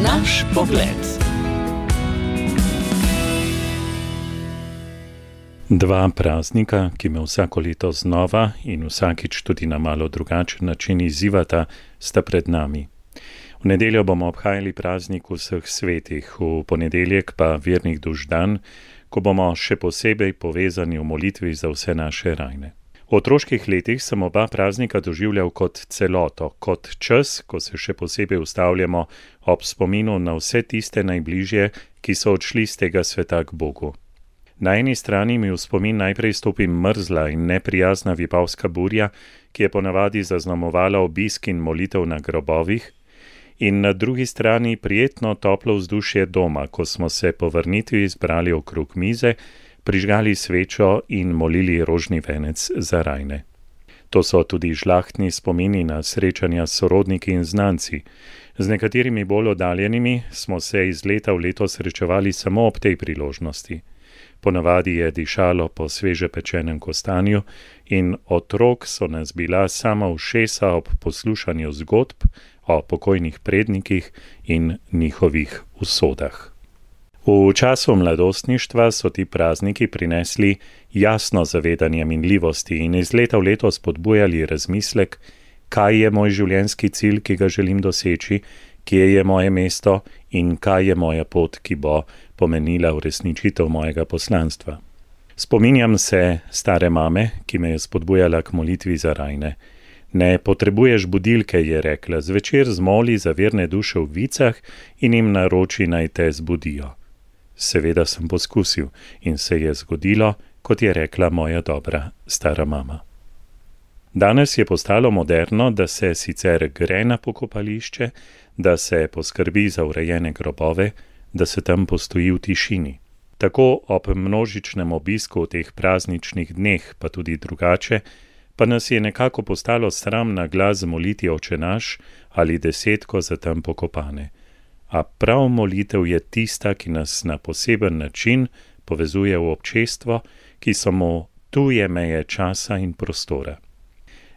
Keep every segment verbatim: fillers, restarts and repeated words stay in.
Naš pogled. Dva praznika, ki me vsako leto znova in vsakič tudi na malo drugačen način izzivata, sta pred nami. V nedeljo bomo obhajali praznik vseh svetih, v ponedeljek pa vernih duš dan, ko bomo še posebej povezani v molitvi za vse naše rajne. V otroških letih sem oba praznika doživljal kot celoto, kot čas, ko se še posebej ustavljamo ob spominu na vse tiste najbližje, ki so odšli z tega sveta k Bogu. Na eni strani mi v spomin najprej stopi mrzla in neprijazna vipavska burja, ki je ponavadi zaznamovala obisk in molitev na grobovih, in na drugi strani prijetno toplo vzdušje doma, ko smo se po vrnitvi zbrali okrog mize, prižgali svečo in molili rožni venec za rajne. To so tudi žlahtni spomini na srečanja s sorodniki in znanci. Z nekaterimi bolj oddaljenimi smo se iz leta v leto srečevali samo ob tej priložnosti. Ponavadi je dišalo po sveže pečenem kostanju in otrok so nas bila sama ušesa ob poslušanju zgodb o pokojnih prednikih in njihovih usodah. V času mladostništva so ti prazniki prinesli jasno zavedanje minljivosti in iz leta v leto spodbujali razmislek, kaj je moj življenjski cilj, ki ga želim doseči, kje je moje mesto in kaj je moja pot, ki bo pomenila uresničitev mojega poslanstva. Spominjam se stare mame, ki me je spodbujala k molitvi za rajne. Ne potrebuješ budilke, je rekla, zvečer zmoli za verne duše v vicah in jim naroči naj te zbudijo. Seveda sem poskusil in se je zgodilo, kot je rekla moja dobra stara mama. Danes je postalo moderno, da se sicer gre na pokopališče, da se poskrbi za urejene grobove, da se tam postoji v tišini. Tako ob množičnem obisku v teh prazničnih dneh, pa tudi drugače, pa nas je nekako postalo sram na glas moliti Oče naš ali desetko za tam pokopane. A prav molitev je tista, ki nas na poseben način povezuje v občestvo, ki so mu tuje meje časa in prostora.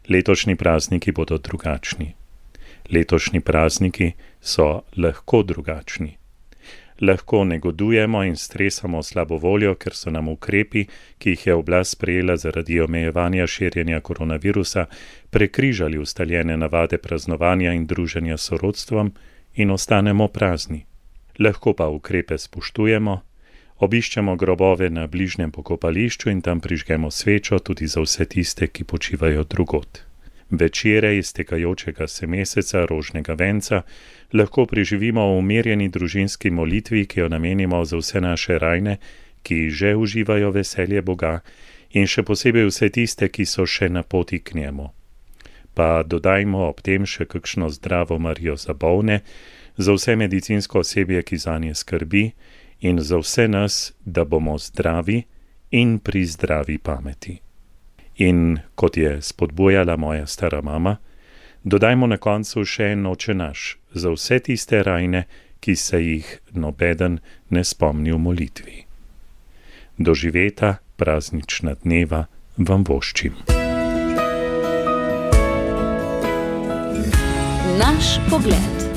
Letošnji prazniki bodo drugačni. Letošnji prazniki so lahko drugačni. Lahko negodujemo in stresamo slabo voljo, ker so nam ukrepi, ki jih je oblast sprejela zaradi omejevanja širjenja koronavirusa, prekrižali ustaljene navade praznovanja in druženja s sorodstvom in ostanemo prazni. Lahko pa ukrepe spoštujemo, obiščemo grobove na bližnjem pokopališču in tam prižgemo svečo tudi za vse tiste, ki počivajo drugod. Večere iztekajočega se meseca rožnega venca lahko preživimo v umirjeni družinski molitvi, ki jo namenimo za vse naše rajne, ki že uživajo veselje Boga in še posebej vse tiste, ki so še na poti k njemu. Pa dodajmo ob tem še kakšno zdravo Marijo za bolne, za vse medicinsko osebje, ki zanje skrbi, in za vse nas, da bomo zdravi in pri zdravi pameti. In kot je spodbujala moja stara mama, dodajmo na koncu še en Oče naš za vse tiste rajne, ki se jih nobeden ne spomni v molitvi. Doživeta praznična dneva vam voščim. Naš pogled.